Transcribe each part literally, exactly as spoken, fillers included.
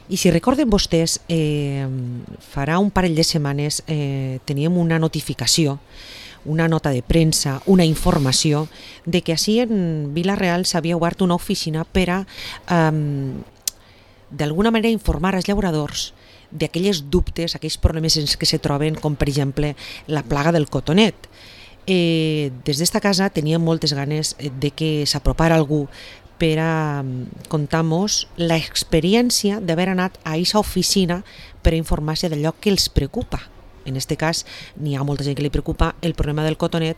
I si recorden vostès, eh, farà un parell de setmanes eh, teníem una notificació, una nota de premsa, una informació de que així en Vila-real s'havia obert una oficina per a eh, d'alguna manera informar als llauradors d'aquelles dubtes, aquells problemes en què se troben, com per exemple la plaga del cotonet. Eh, des d'esta casa teníem moltes ganes de que s'apropara algú per a contar-nos l'experiència d'haver anat a aquesta oficina per a informar-se d'allò que els preocupa. En aquest cas, n'hi ha molta gent que li preocupa el problema del cotonet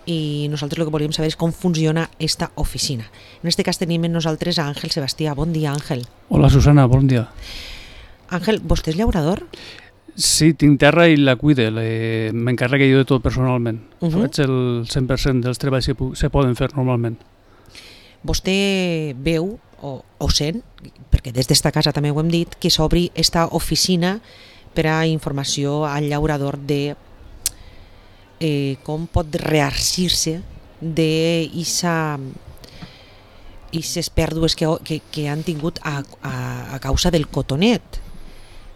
i nosaltres el que volíem saber és com funciona aquesta oficina. En aquest cas tenim amb nosaltres a Àngel Sebastià. Bon dia, Àngel. Hola, Susana, bon dia. Àngel, vostè és llaurador? Sí, tinc terra i la cuide, m'encarrego jo de tot personalment. Uh -huh. Faig el cent per cent dels treballs que se poden fer normalment. Vostè veu o, o sent, perquè des d'esta casa també ho hem dit, que s'obri esta oficina per a informació al llaurador de eh, com pot rearcir-se d'aquestes pèrdues que, que, que han tingut a, a, a causa del cotonet.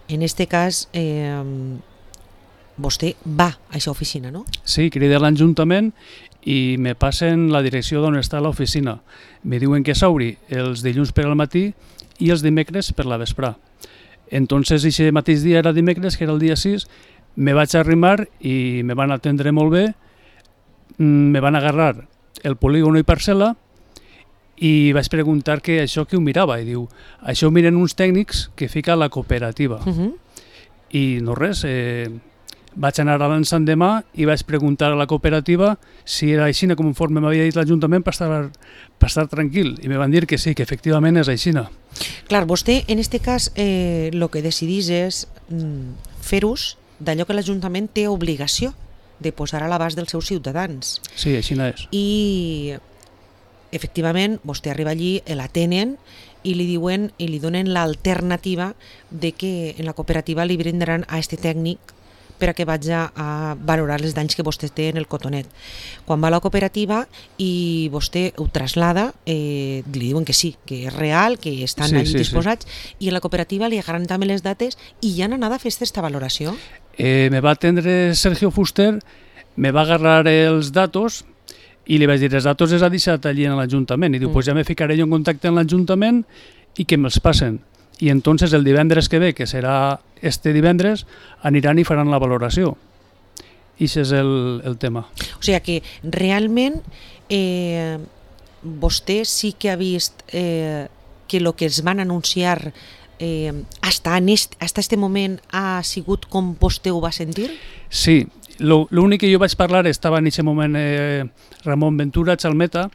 En aquest cas, eh, vostè va a aquesta oficina, no? Sí, crida l'Ajuntament i me passen la direcció d'on està l'oficina. Me diuen que s'obri els dilluns per al matí i els dimecres per la vesprà. Entonces, aquest mateix dia era dimecres, que era el dia sis, me vaig arrimar i me van atendre molt bé, me van agarrar el polígono i parcel·la i vaig preguntar que això que ho mirava, i diu, això ho miren uns tècnics que fica la cooperativa. Uh -huh. I no res, eh, vaig anar a l'endemà i vaig preguntar a la cooperativa si era així conforme m'havia dit l'Ajuntament per estar, per estar tranquil, i me van dir que sí, que efectivament és així. Clar, vostè en aquest cas eh, el que decidís és mm, fer ús d'allò que l'Ajuntament té obligació de posar a l'abast dels seus ciutadans. Sí, així és. I efectivament vostè arriba allí, l'atenen i li diuen i li donen l'alternativa de que en la cooperativa li brindaran a este tècnic per a que vagi a valorar els danys que vostè té en el cotonet. Quan va a la cooperativa i vostè ho traslada, eh, li diuen que sí, que és real, que estan sí, allí sí, disposats, sí. I en la cooperativa li agarran també les dates i ja han anat a fer aquesta valoració? Eh, me va atendre Sergio Fuster, me va agarrar els datos i li vaig dir, els datos els ha deixat allí en l'Ajuntament, i diu, mm. pues ja me ficaré jo en contacte amb l'Ajuntament i que me'ls passen. I entonces el divendres que ve, que serà este divendres, aniran i faran la valoració. I això és el, el tema. O sigui que realment eh, vostè sí que ha vist eh, que el que es van anunciar eh, hasta, en est, hasta este moment ha sigut com vostè ho va sentir? Sí, l'únic que jo vaig parlar, estava en aquest moment eh, Ramon Ventura, Chalmeta,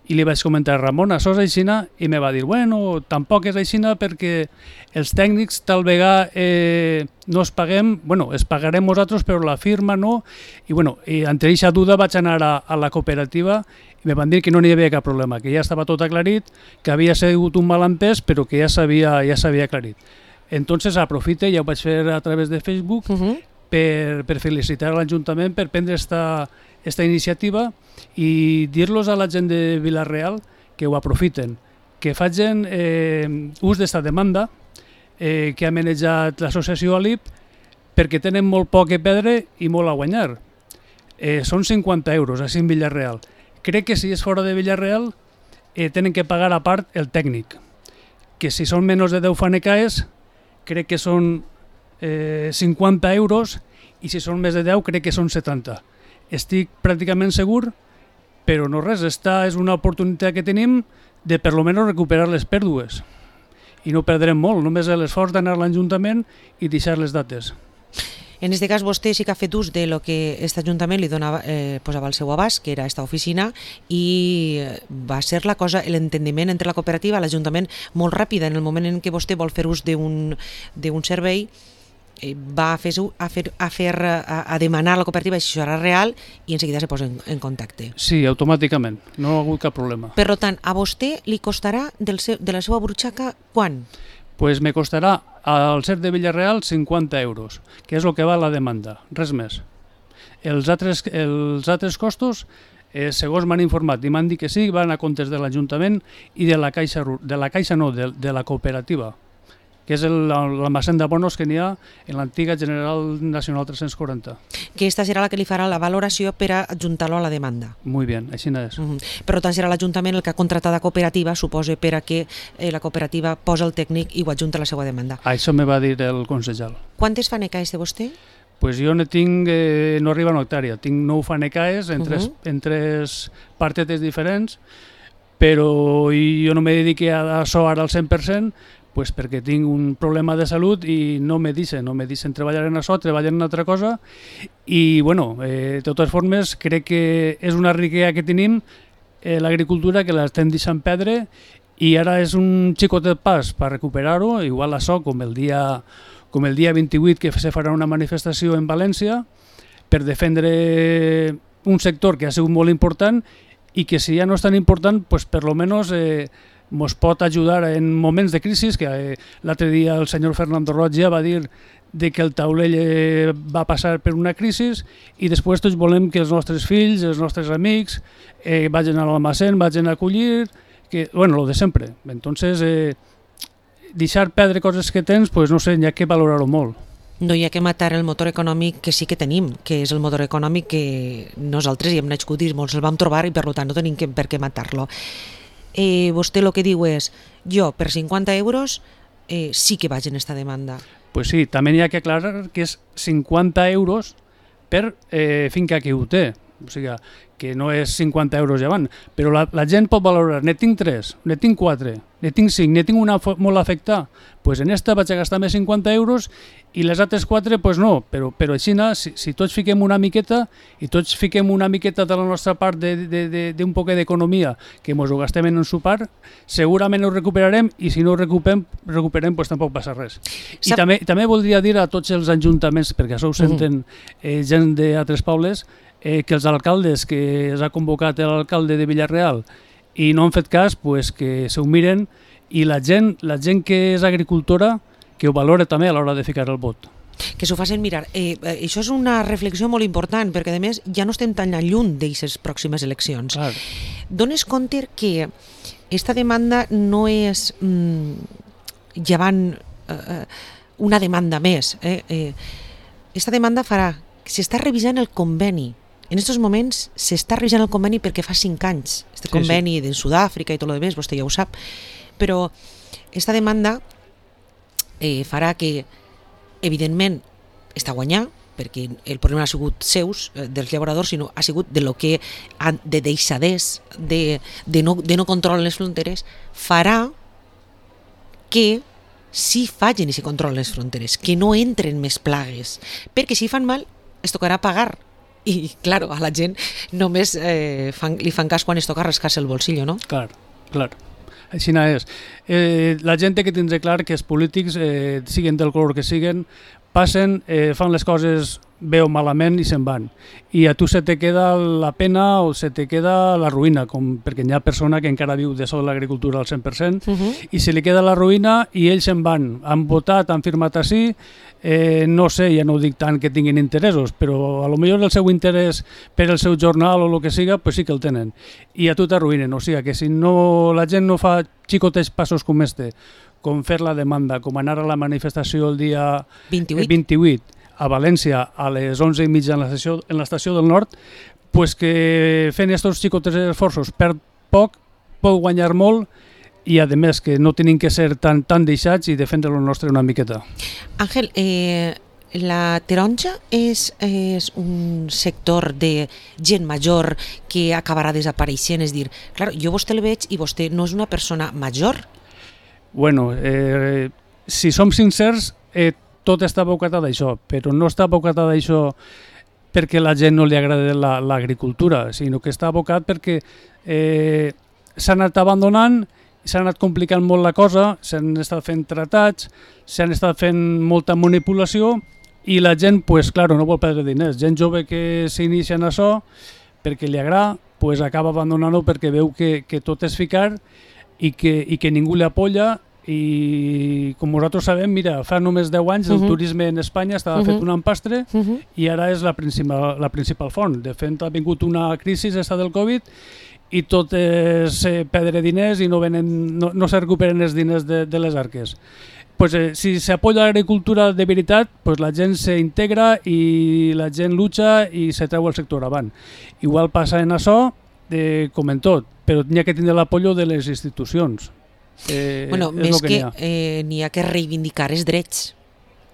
i li vaig comentar, Ramon, això és aixina? I me va dir, bueno, tampoc és aixina perquè els tècnics tal vegada eh, no es paguem, bueno, es pagarem nosaltres, però la firma no, i bueno, i entre aquesta duda vaig anar a, a la cooperativa i me van dir que no n'hi havia cap problema, que ja estava tot aclarit, que havia sigut un malentès, però que ja s'havia ja s'havia aclarit. Entonces aprofite, ja ho vaig fer a través de Facebook, uh-huh. Per, per felicitar a l'Ajuntament per prendre esta, esta iniciativa i dir-los a la gent de Vila-real que ho aprofiten, que facin eh, ús d'esta demanda eh, que ha manejat l'associació A L I P perquè tenen molt poc a perdre i molt a guanyar. Eh, són cinquanta euros així en Vila-real. Crec que si és fora de Vila-real eh, tenen que pagar a part el tècnic, que si són menys de deu fanecaes crec que són Eh, cinquanta euros, i si són més de deu crec que són setanta. Estic pràcticament segur, però no res, esta és una oportunitat que tenim de per lo menos recuperar les pèrdues i no perdrem molt, només l'esforç d'anar a l'Ajuntament i deixar les dates. En aquest cas vostè sí que ha fet ús de lo que aquest Ajuntament li donava, eh, posava al seu abast, que era aquesta oficina, i va ser la cosa, l'entendiment entre la cooperativa i l'Ajuntament molt ràpida. En el moment en què vostè vol fer ús d'un d'un servei, va a fer, a, fer, a, fer a, a demanar a la cooperativa si això era real i en seguida se posa en, en contacte. Sí, automàticament, no ha hagut cap problema. Per tant, a vostè li costarà del seu, de la seva burxaca quan? Pues me costarà al C E R de Vila-real cinquanta euros, que és el que va la demanda, res més. Els altres, els altres costos, eh, segons m'han informat i m'han dit que sí, van a comptes de l'Ajuntament i de la Caixa, de la Caixa no, de, de la cooperativa. que és l'almacén de bonos que n'hi ha en l'antiga General Nacional tres-cents quaranta. Que aquesta serà la que li farà la valoració per a adjuntar-lo a la demanda. Muy bien, així no és. Uh -huh. Per tant, serà l'Ajuntament el que ha contractat la cooperativa, suposa, per a que eh, la cooperativa posa el tècnic i ho adjunta a la seva demanda. Això me va dir el consellal. Quantes fanecaes té vostè? Pues jo ne tinc, eh, no arriba a una hectàrea, tinc nou fanecaes en, uh -huh. tres, en tres partetes diferents, però jo no me dedique a això ara al cent per cent, pues perquè tinc un problema de salut i no me deixen, no me deixen treballar en això, treballar en una altra cosa, i bueno, eh, de totes formes crec que és una riquesa que tenim, eh, l'agricultura, que l'estem deixant perdre, i ara és un xicotet pas per recuperar-ho, igual això com el dia com el dia vint-i-vuit que se farà una manifestació en València per defendre un sector que ha sigut molt important i que si ja no és tan important, pues per lo menos eh, ens pot ajudar en moments de crisi, que eh, l'altre dia el senyor Fernando Roig ja va dir de que el taulell eh, va passar per una crisi i després tots volem que els nostres fills, els nostres amics eh, vagin a l'almacén, vagin a acollir, que, bueno, lo de sempre. Entonces, eh, deixar perdre coses que tens, pues no sé, hi ha que valorar-ho molt. No hi ha que matar el motor econòmic que sí que tenim, que és el motor econòmic que nosaltres hi hem nascut i molts el vam trobar i per tant no tenim que, per què matar-lo. Eh, vostè el que diu és, jo per cinquanta euros eh, sí que vaig en esta demanda. Pues sí, també hi ha que aclarar que és cinquanta euros per eh, finca que ho té. O sigui, que no és cinquanta euros llevant, però la, la gent pot valorar, ne tinc tres, ne tinc quatre, ne tinc cinc, ne tinc una molt afectada, doncs en esta vaig a gastar més cinquanta euros i les altres quatre, doncs no, però, però així, si, si tots fiquem una miqueta i tots fiquem una miqueta de la nostra part d'un poc d'economia que ens ho gastem en un sopar, segurament ho recuperarem i si no ho recuperem, recuperem doncs tampoc passa res. I Sap... també, també voldria dir a tots els ajuntaments, perquè això ho senten eh, gent d'altres pobles, Eh, que els alcaldes que s'ha convocat l'alcalde de Villarreal i no han fet cas, pues, que s'ho miren i la gent, la gent que és agricultora que ho valora també a l'hora de ficar el vot. Que s'ho facin mirar. Eh, eh, això és una reflexió molt important perquè a més ja no estem tan lluny d'aquestes pròximes eleccions. Clar. Dones compte que aquesta demanda no és mm, llevant eh, una demanda més. Eh? Eh, aquesta demanda farà que s'està revisant el conveni. En aquests moments s'està revisant el conveni perquè fa cinc anys, este conveni sí, sí. de Sud-àfrica i tot el que més, vostè ja ho sap, però aquesta demanda eh, farà que, evidentment, està guanyant, perquè el problema ha sigut seus, eh, dels llauradors, sinó ha sigut de lo que han de deixadès, de, de, no, de no control en les fronteres, farà que si facin i si controlen les fronteres, que no entren més plagues, perquè si fan mal es tocarà pagar. I, claro, a la gent només eh, fan, li fan cas quan es toca rascar-se el bolsillo, no? Clar, clar. Així no és. Eh, la gent té que tindre clar que els polítics, eh, siguin del color que siguin, passen, eh, fan les coses bé o malament i se'n van. I a tu se te queda la pena o se te queda la ruïna, com, perquè hi ha persona que encara viu de sol l'agricultura al cent per cent, uh -huh. i se li queda la ruïna i ells se'n van. Han votat, han firmat així, eh, no sé, ja no ho dic tant que tinguin interessos, però a lo millor el seu interès per el seu jornal o el que siga, pues sí que el tenen. I a tu t'arruïnen, o sigui que si no, la gent no fa xicotets passos com este, com fer la demanda, com anar a la manifestació el dia vint-i-vuit, vint-i-vuit a València a les onze i mitja en l'estació en l'estació del Nord, pues que fent aquests xicotes esforços per poc pot guanyar molt i a més que no tenim que ser tan, tan deixats i defendre el nostre una miqueta. Àngel, eh, la taronja és, és un sector de gent major que acabarà desapareixent, és dir, clar, jo vostè el veig i vostè no és una persona major. Bueno, eh, si som sincers, eh, tot està abocat a d'això, però no està abocat a d'això perquè la gent no li agrada l'agricultura, sinó que està abocat perquè eh, s'ha anat abandonant, s'ha anat complicant molt la cosa, s'han estat fent tratats, s'han estat fent molta manipulació i la gent, pues, claro, no vol perdre diners. Gent jove que s'inicia en això perquè li agrada, pues, acaba abandonant-ho perquè veu que, que tot és ficar i que, i que ningú li apoya. I com nosaltres sabem, mira, fa només deu anys el uh -huh. turisme en Espanya estava uh -huh. fet un empastre uh -huh. i ara és la principal, la principal font. De fet, ha vingut una crisi esta del Covid i tot és eh, perdre diners i no, venen, no, no se recuperen els diners de, de les arques. pues, eh, si s'apoya l'agricultura de veritat, pues, la gent s'integra i la gent lucha i se treu el sector avant. Igual passa en això, eh, com en tot, però n'hi ha que tindre l'apoyo de les institucions. Eh, bueno, més que, que eh, n'hi ha que reivindicar els drets.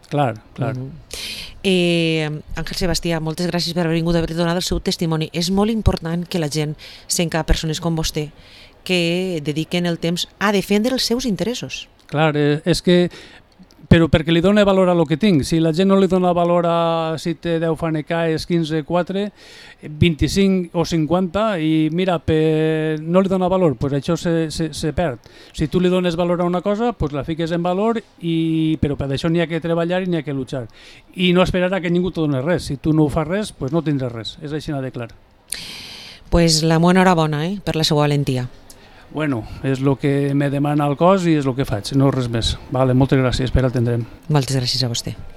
Clar, clar. Mm-hmm. eh, Àngel Sebastià, moltes gràcies per haver vingut a haver donat el seu testimoni. És molt important que la gent s'enca persones com vostè que dediquen el temps a defendre els seus interessos. Clar, eh, és que però perquè li dona valor a lo que tinc. Si la gent no li dona valor a si té deu fanecaes, quinze, quatre, vint-i-cinc o cinquanta i mira, per, no li dona valor, pues això se, se, se perd. Si tu li dones valor a una cosa, pues la fiques en valor, i, però per això n'hi ha que treballar i n'hi ha que luchar. I no esperar a que ningú te doni res. Si tu no ho fas res, pues no tindràs res. És així de clar. Pues la meva enhorabona eh, per la seva valentia. Bueno, és el que me demana el cos i és el que faig, no res més. Vale, moltes gràcies per atendre'm. Moltes gràcies a vostè.